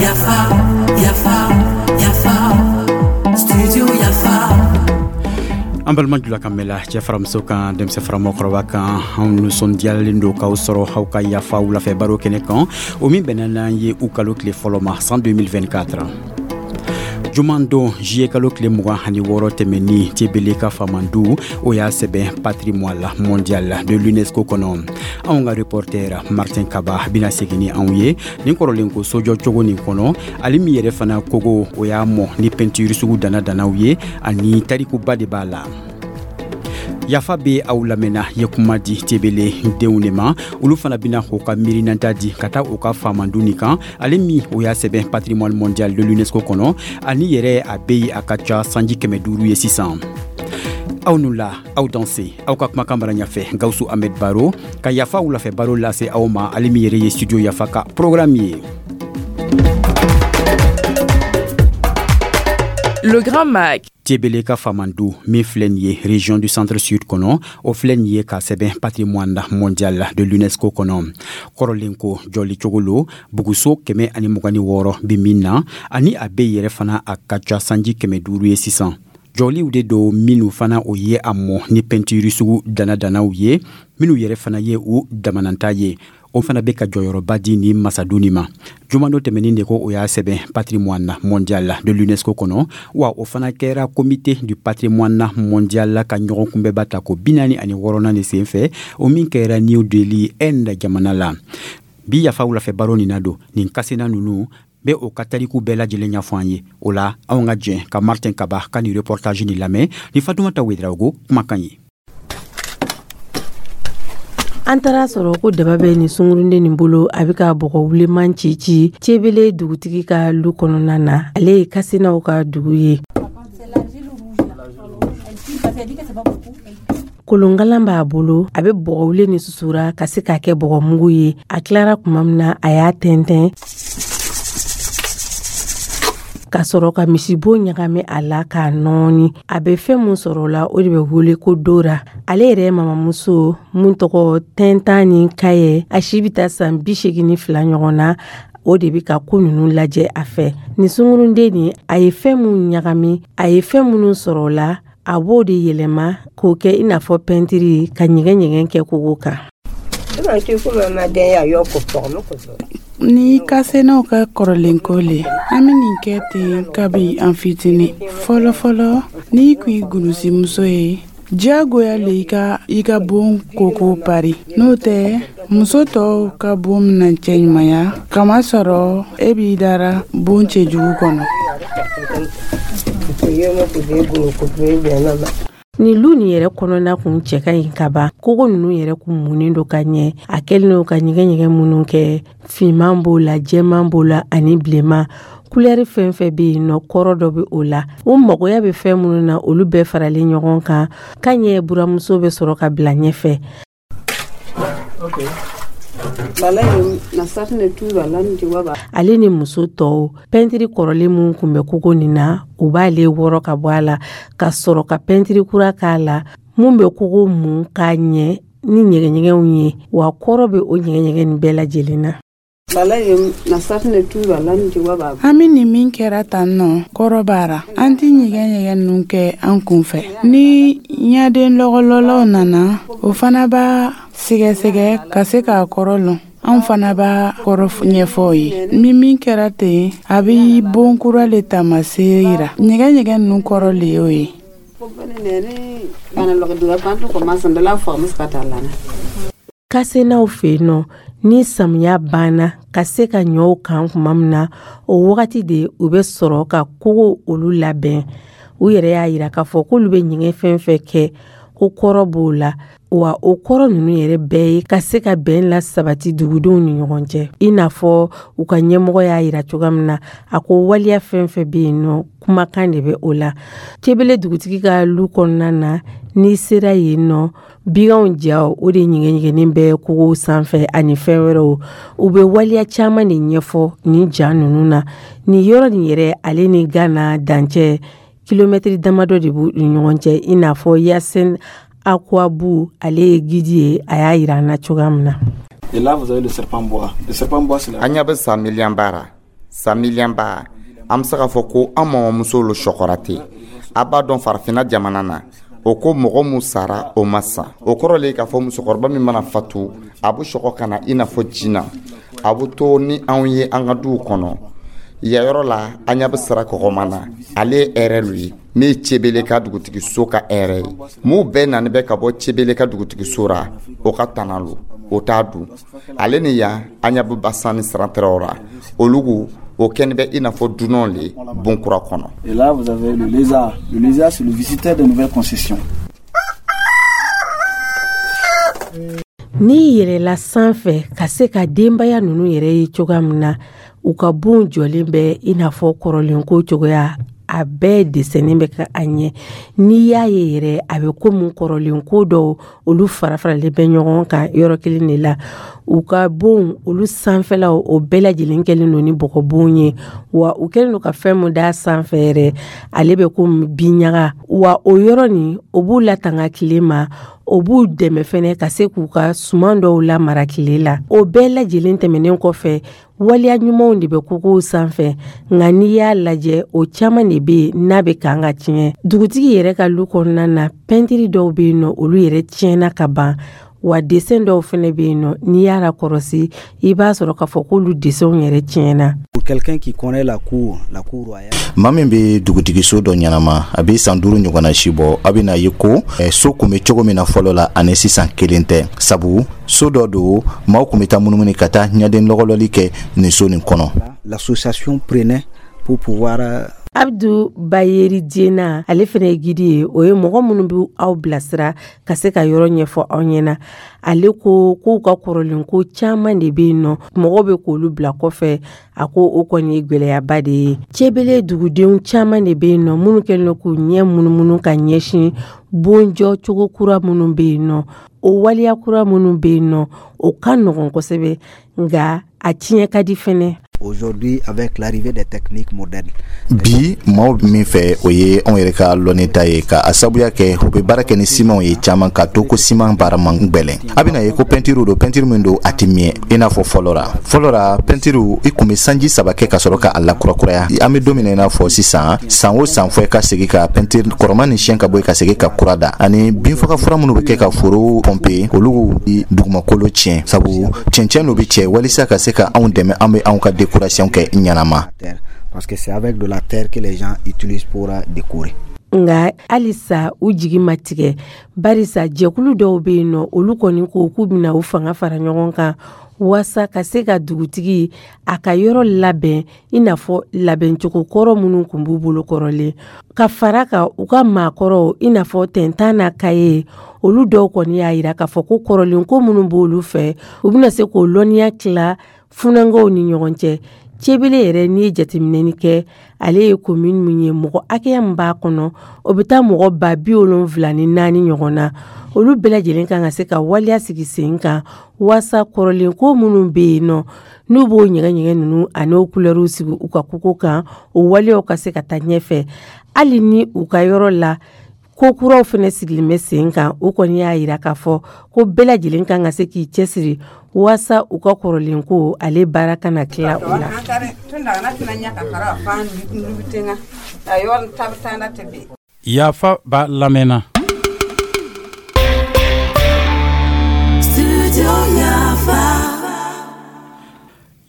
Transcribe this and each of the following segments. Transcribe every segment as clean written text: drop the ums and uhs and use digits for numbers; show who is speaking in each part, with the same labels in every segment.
Speaker 1: Yafa, yafa, yafa, studio Yafa.
Speaker 2: An balima jula kan mɛla, cɛ fara muso kan, denmisɛn fara mɔgɔkɔrɔba kan, anw nisɔndiyalen don k'aw sɔrɔ aw ka Yafa wulafɛ baro kɛnɛ kan, o min bɛnna n'an ye u kalo tile fɔlɔ ma, san 2024, juman don, juillet kalo tile 26 tɛmɛni. Tebele ka famandu, o y'a sɛbɛn patrimoine mondial de l'UNESCO kɔnɔ. Anw ka reporter Martin Kaba bɛna segin ni anw ye nin kɔrɔlen ko sojɔ cogo nin kɔnɔ, ale min yɛrɛ fana kogo, o y'a mɔ ni peinture sugu dana danaw ye, ani tarikuba de b'a la. Yafa bɛ aw lamɛnna ye kuma di Tebele denw de ma, olu fana bɛna u ka miirinanta di ka taa u ka famandu nin kan, ale min o y'a sɛbɛn patrimoine mondial de l'UNESCO kɔnɔ, ani yɛrɛ a bɛ yen a ka ca sanji 500 ye sisan. Aw nu la, aw danse, aw ka kumakan bara ɲɛfɛ, Gawusu Ahmed Baro ka Yafa wulafɛ baro lase aw ma, ale min yɛrɛ ye studio Yafa ka programme ye.
Speaker 3: Le Grand Mag.
Speaker 2: Tebele ka famandu min filɛ nin ye région du Centre Sud kɔnɔ, o filɛ nin ye ka sɛbɛn patrimoine mondial de l'UNESCO kɔnɔ. Kɔrɔlen ko jɔli cogo lo, buguso 126 bi min na, ani a bɛ yɛrɛ fana a ka ca sanji 500 ye sisan. Jɔliw de don minnu fana o ye a mɔ ni peinture sugu dana-danaw ye, minnu yɛrɛ fana ye u damananta ye, o fana bɛ ka jɔyɔrɔba di ni masadu nin ma. Jumando tɛmɛnin de ko o y'a sɛbɛn patrimoine mondial de l'UNESCO kɔnɔ, wa o fana kɛra comité du patrimoine mondial ka ɲɔgɔn kunbɛba ta ko 46nan de sen fɛ, o min kɛra New Delhi, Inde jamana la. Bi Yafa wulafɛ baro nin na don nin kasena ninnu bɛ o ka tariku bɛɛ lajɛlen ɲɛfɔ an ye. O la, anw ka jɛn ka Martin Kaba ka nin reportage nin lamɛn ni Fatumata Wedraogo kumakan ye.
Speaker 4: An taara sɔrɔ ko daba bɛ nin sungurunden nin bolo, a bɛ ka bɔgɔ wuleman ci ci Cebele dugutigi ka lu kɔnɔna na. Ale ye Kasenaw ka dugu ye. Kolonkalan b'a bolo, a bɛ bɔgɔ wule ni susura ka se k'a kɛ bɔgɔmugu ye. A tilara tuma min na, a y'a tɛntɛn ka sɔrɔ ka misibo ɲagami a la k'a nɔɔni. A bɛ fɛn mun sɔrɔ o la, o de bɛ wele ko dora. Ale yɛrɛ ye mamamuso mun tɔgɔ Tɛntan ni Kayɛ, a si bɛ taa san 82 ɲɔgɔn na, o de bɛ ka ko ninnu lajɛ a fɛ. Nin sungurunden nin, a ye fɛn mun ɲagami, a ye fɛn minnu sɔrɔ o la, a b'o de yɛlɛma k'o kɛ i n'a fɔ pɛntiri, ka ɲɛgɛn ɲɛgɛn kɛ kogo kan.
Speaker 5: Ni Kasenaw ka kɔrɔlenko le, an bɛ nin kɛ ten kabi an fitini. Fɔlɔ fɔlɔ, n'i kun ye gunusimuso ye, diyagoya le i ka i ka bon koko pari, n'o tɛ muso tɔw ka bon bɛna cɛɲumanya, kamasɔrɔ e b'i dara bon cɛjugu kɔnɔ.
Speaker 4: Nin lu nin yɛrɛ kɔnɔna kun cɛ ka ɲi ka ban. Kogo ninnu yɛrɛ kun munnen don ka ɲɛ. A kɛlen don ka ɲɛgɛn ɲɛgɛn minnu kɛ, finman b'o la, jɛman b'o la ani bilenman, kulɛri fɛn fɛn bɛ yen nɔ, kɔrɔ dɔ bɛ o la. U magoya bɛ fɛn minnu na, olu bɛɛ faralen ɲɔgɔn kan ka ɲɛ. Buramuso bɛ sɔrɔ ka bila ɲɛfɛ. Ale ni muso tɔw, pɛntiri kɔrɔlen min kun bɛ kogo nin na, u b'ale wɔrɔ ka bɔ a la ka sɔrɔ ka pɛntiri kura k'a la, mun bɛ kogo mun k'a ɲɛ ni ɲɛgɛnɲɛgɛnw ye, wa kɔrɔ bɛ o ɲɛgɛnɲɛgɛn nin bɛɛ lajɛlen na.
Speaker 5: An bɛ nin min kɛra tan nɔ, kɔrɔ b'a ra. An tɛ ɲɛgɛn ɲɛgɛn ninnu kɛ an kun fɛ. Ni ɲaden lɔgɔlɔlaw nana, o fana b'a sɛgɛsɛgɛ ka se k'a kɔrɔ lɔn. Anw fana b'a kɔrɔ ɲɛfɔ o ye. Ni min kɛra ten, a bɛ bon kura le taamasere yira. Ɲɛgɛn ɲɛgɛn ninnu kɔrɔ le y'o ye.
Speaker 4: Kasenaw fɛ yen nɔ, ni samiya banna ka se ka ɲɔw kan tuma min na, o wagati de u bɛ sɔrɔ ka kogo olu labɛn. U yɛrɛ y'a yira k'a fɔ k'olu bɛ ɲɛgɛn fɛn fɛn kɛ, ko kɔrɔ b'o la, wa o kɔrɔ ninnu yɛrɛ bɛɛ ye ka se ka bɛn la sabati dugudenw ni ɲɔgɔn cɛ, i n'a fɔ u ka ɲɛmɔgɔ y'a yira cogoya min na. A ko waleya fɛn fɛn bɛ yen nɔ, kumakan de bɛ o la. Cebele dugutigi ka lu kɔnɔna na, n'i sera yen nɔ, biganw jaw o de ɲɛgɛnɲɛgɛnnen bɛ kogow sanfɛ ani fɛn wɛrɛw. U bɛ waleya caman de ɲɛfɔ nin ja ninnu na. Nin yɔrɔ nin yɛrɛ, ale ni Gana dancɛ, kilomɛtiri damadɔ de b'u ni ɲɔgɔn cɛ, i n'a fɔ Yasin Akwabu, ale ye guide ye, a y'a yira an na cogoya min na.
Speaker 3: Et là, vous avez le serpent boa. Le serpent boa, c'est la.
Speaker 6: An ɲɛ bɛ sa miliyɔnba ra, sa miliyɔnba, an bɛ se k'a fɔ ko an mamamuso lo sɔkɔra ten. A b'a dɔn, farafinna jamana na, o ko mɔgɔ mun sara, o ma sa. O kɔrɔ le k'a fɔ musokɔrɔba min mana fatu, a bɛ sɔgɔ ka na i n'a fɔ jina, a bɛ to ni anw ye an ka duw kɔnɔ. Yayɔrɔ la, an ɲɛ bɛ sira kɔgɔma na. Ale ye hɛrɛ lu ye min ye Cebele ka dugutigiso ka hɛrɛ ye. M'u bɛɛ nani bɛ ka bɔ Cebele ka dugutigiso ra, o ka tana lo, o t'a dun. Ale ni yan, an ɲɛ bɛ basan ni sirantɛrɛw ra. Olugu o kɛni bɛ i n'a fɔ dunan le bonkura kɔnɔ.
Speaker 3: Et là, vous avez le lézard. Le lézard, c'est le visiteur des nouvelles concessions.
Speaker 4: N'i yɛlɛla sanfɛ ka se ka denbaya ninnu yɛrɛ ye cogoya min na, u ka bon jɔlen bɛ i n'a fɔ kɔrɔlenko cogoya, a bɛɛ desɛnnen bɛ ka a ɲɛ. N'i y'a ye yɛrɛ, a bɛ komi kɔrɔlenko dɔw, olu fara faralen bɛ ɲɔgɔn kan yɔrɔ kelen de la. U ka bon olu sanfɛlaw, o bɛɛ lajɛlen kɛlen don ni bɔgɔbon ye. Wa u kɛlen don ka fɛn min d'a sanfɛ yɛrɛ, ale bɛ komi binɲaga. Wa o yɔrɔ nin, o b'u latanga tile ma, o b'u dɛmɛ fɛnɛ ka se k'u ka suman dɔw lamara tile la. O bɛɛ lajɛlen tɛmɛnen kɔfɛ, waleya ɲumanw de bɛ kogow sanfɛ, nka n'i y'a lajɛ, o caman de bɛ yen n'a bɛ kan ka tiɲɛ. Dugutigi yɛrɛ ka lu kɔnɔna na, pɛntiri dɔw bɛ yen nɔ, olu yɛrɛ tiɲɛna ka ban. Wa desɛn dɔw fɛnɛ bɛ yen nɔ, n'i y'a lakɔrɔsi, i b'a sɔrɔ k'a fɔ k'olu desɛnw yɛrɛ tiɲɛna.
Speaker 7: Pour quelqu'un qui connaît la cour, la cour royale.
Speaker 8: Maa min bɛ dugutigiso dɔ ɲɛnama, a bɛ san 5 ɲɔgɔnna si bɔ, a bɛna ye ko so kun bɛ cogo min na fɔlɔ la ani sisan kelen tɛ, sabu so dɔ don, maaw kun bɛ taa munumunu ka taa ɲaden lɔgɔlɔli kɛ nin so nin kɔnɔ.
Speaker 7: L'association prenait pour pouvoir
Speaker 4: Abdu Bayeri Jena, ale fɛnɛ ye guide ye. O ye mɔgɔ minnu bɛ aw bilasira ka se ka yɔrɔ ɲɛfɔ aw ɲɛna. Ale ko k'u ka kɔrɔlen ko caman de bɛ yen nɔ, mɔgɔw bɛ k'olu bila kɔfɛ. A ko o kɔni ye gwɛlɛyaba de ye. Cebele dugudenw caman de bɛ yen nɔ minnu kɛlen don k'u ɲɛ munumunu ka ɲɛsin bonjɔ cogo kura minnu bɛ yen nɔ, o waleya kura minnu bɛ yen nɔ, o ka nɔgɔn kosɛbɛ, nka a tiɲɛ ka di fɛnɛ.
Speaker 7: Aujourd'hui, avec l'arrivée des techniques modernes.
Speaker 8: Bi, maaw min fɛ, o ye anw yɛrɛ ka lɔnni ta ye, ka a sabuya kɛ u bɛ baara kɛ ni simanw ye caman, ka to ko siman baara man gwɛlɛn. A bɛna ye ko pɛntiriw don, pɛntiri min don, a tɛ miyɛ i n'a fɔ fɔlɔ ra. Fɔlɔ ra, pɛntiriw, i kun bɛ sanji 3 kɛ ka sɔrɔ ka a lakurakuraya. An bɛ don min na i n'a fɔ sisan, san o san fɔ i ka segin ka pɛntiri kɔrɔman ni siyɛn ka bɔ yen, ka segin ka kura da. Ani binfaga fura minnu bɛ kɛ ka foro pɔnpe, olu dugumakolo tiɲɛ, sabu cɛncɛn dɔ bɛ cɛ walisa ka se ka anw dɛmɛ, an bɛ anw ka décoration kɛ ɲanama.
Speaker 7: Parce que c'est avec de la terre que les gens utilisent pour décorer.
Speaker 4: Nka halisa u jigi ma tigɛ, barisa jɛkulu dɔw bɛ yen nɔ, olu kɔni ko k'u bɛna u fanga fara ɲɔgɔn kan waasa ka se ka dugutigi a ka yɔrɔ labɛn i n'a fɔ labɛncogo kɔrɔ minnu tun b'u bolo kɔrɔlen, ka fara kan u ka maakɔrɔw, i n'a fɔ tɛntan n'a kaye. Olu dɔw kɔni y'a yira k'a fɔ ko kɔrɔlen ko minnu b'olu fɛ, u bɛna se k'o lɔnniya tila funankɛw ni ɲɔgɔn cɛ. Cebele yɛrɛ, n'i ye jateminɛni kɛ, ale ye commune min ye, mɔgɔ hakɛya min b'a kɔnɔ, o bɛ taa mɔgɔ 74,000 ɲɔgɔn na. Olu bɛɛ lajɛlen kan ka se ka waleya sigi sen kan waasa kɔrɔlen ko minnu bɛ yen nɔ, n'u b'o ɲɛgɛn-ɲɛgɛn ninnu ani o kulɛriw sigi u ka koko kan, o waleyaw ka se ka taa ɲɛfɛ. Hali ni u ka yɔrɔ la ko kuraw fɛnɛ sigilen bɛ sen kan, o kɔni y'a yira k'a fɔ ko bɛɛ lajɛlen kan ka se k'i cɛsiri waasa u ka kɔrɔlen ko ale baara kana tila u la.
Speaker 2: Yafa ba lamɛnna.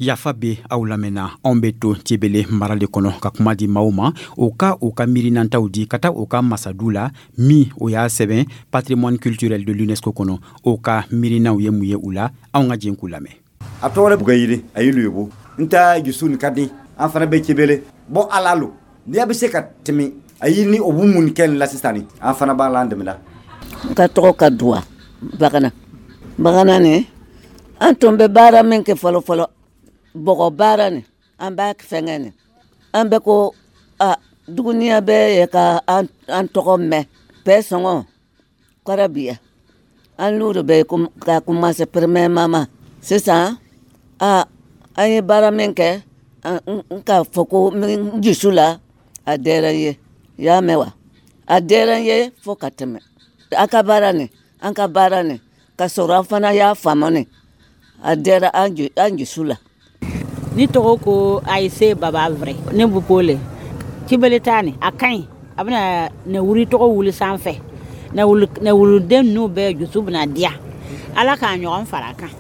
Speaker 2: Yafa bɛ aw lamɛnna. Anw bɛ to Cebele mara de kɔnɔ ka kuma di maaw ma, o ka u ka miirinantaw di ka taa u ka masadu la min o y'a sɛbɛn patrimoine culturel de l'UNESCO kɔnɔ. O ka miirinaw ye mun ye u la? Anw ka jɛn k'u lamɛn.
Speaker 9: A tɔgɔ Bugayiri a ye lubo n ta jusu ni ka di an fana bɛ Cebele bɔn ala lo n'i bɛ se ka tɛmɛ a ye ni o b'u mun kɛ la sisan ni an fana b'a la an dɛmɛ la.
Speaker 10: N ka tɔgɔ ka duwa Bagana Bagana ni an tun bɛ baara min kɛ fɔlɔ fɔlɔ, bɔgɔ baara ni an b'a fɛngɛ ni an bɛ ko a duguniya bɛ ye ka an tɔgɔ mɛn bɛɛ sɔngɔ kɔrɔ biya an n'olu bɛ ka commencer premièrement ma sisan. A an ye baara min kɛ, n k'a fɔ ko n dusu la, a diyara n ye. I y'a mɛn wa? A diyara n ye fo ka tɛmɛ. A ka baara nin, an ka baara nin, ka sɔrɔ an fana y'a faamu nin. A diyara an jusu la.
Speaker 11: Ni tɔgɔ ko Ayise Baba Vrai, ne bɛ Pole. Cibele ta nin, a ka ɲi. A bɛna nɛwuri tɔgɔ wuli sanfɛ, nɛwuruden ninnu bɛɛ dusu bɛna diya. Ala k'a ɲɔgɔn fara a kan,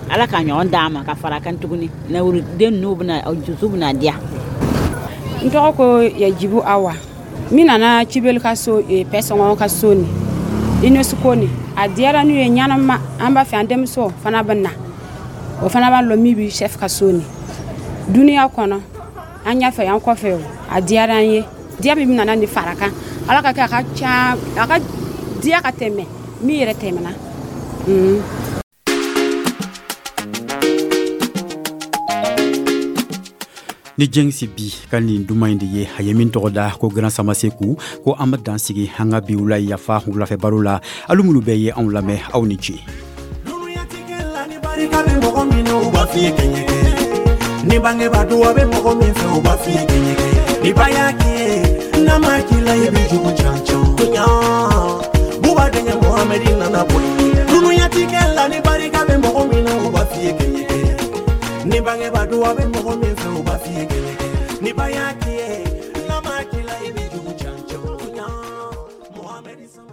Speaker 11: Ala k'a ɲɔgɔn d'a ma ka fara a kan tuguni. Nɛwuruden ninnu bɛna, dusu bɛna diya.
Speaker 12: N tɔgɔ ko Yajibu Awa. Min nana Cibeli ka so, Pɛsɔngɔ ka so ni UNESCO ni, a diyara n'u ye ɲɛnama. An b'a fɛ an denmuso fana bɛ na, o fana b'a lɔn min bɛ chef ka so ni duniya kɔnɔ, an ɲɛfɛ, an kɔfɛ. O a diyara an ye. Diya min nana ni fara kan, Ala ka kɛ a ka ca, a ka diya ka tɛmɛ min yɛrɛ tɛmɛna.
Speaker 2: Ni Jɛngisi bi ka nin duman in de ye, a ye min tɔgɔ da ko Grand Samaseku, ko an bɛ dan sigi an ka bi wula Yafa wulafɛ baro la. Alu minnu bɛɛ ye anw lamɛn, aw ni ce.
Speaker 13: Barika bɛ mɔgɔ min na, u b'a f'i ye kɛɲɛkɛ. Ni bangebaa duwa bɛ mɔgɔ min fɛ, u b'a f'i ye kɛɲɛkɛ. Ni ba y'a k'i ye, n'a ma k'i la, i bɛ jugu can can. Buba denkɛ Mohamɛdi nana bɔ dunuyatigɛ la. Ni barika bɛ mɔgɔ min na, u b'a f'i ye kɛɲɛkɛ. Ni bangebaa duwa bɛ mɔgɔ min fɛ, u b'a f'i ye kɛɲɛkɛ. Ni ba y'a k'i ye.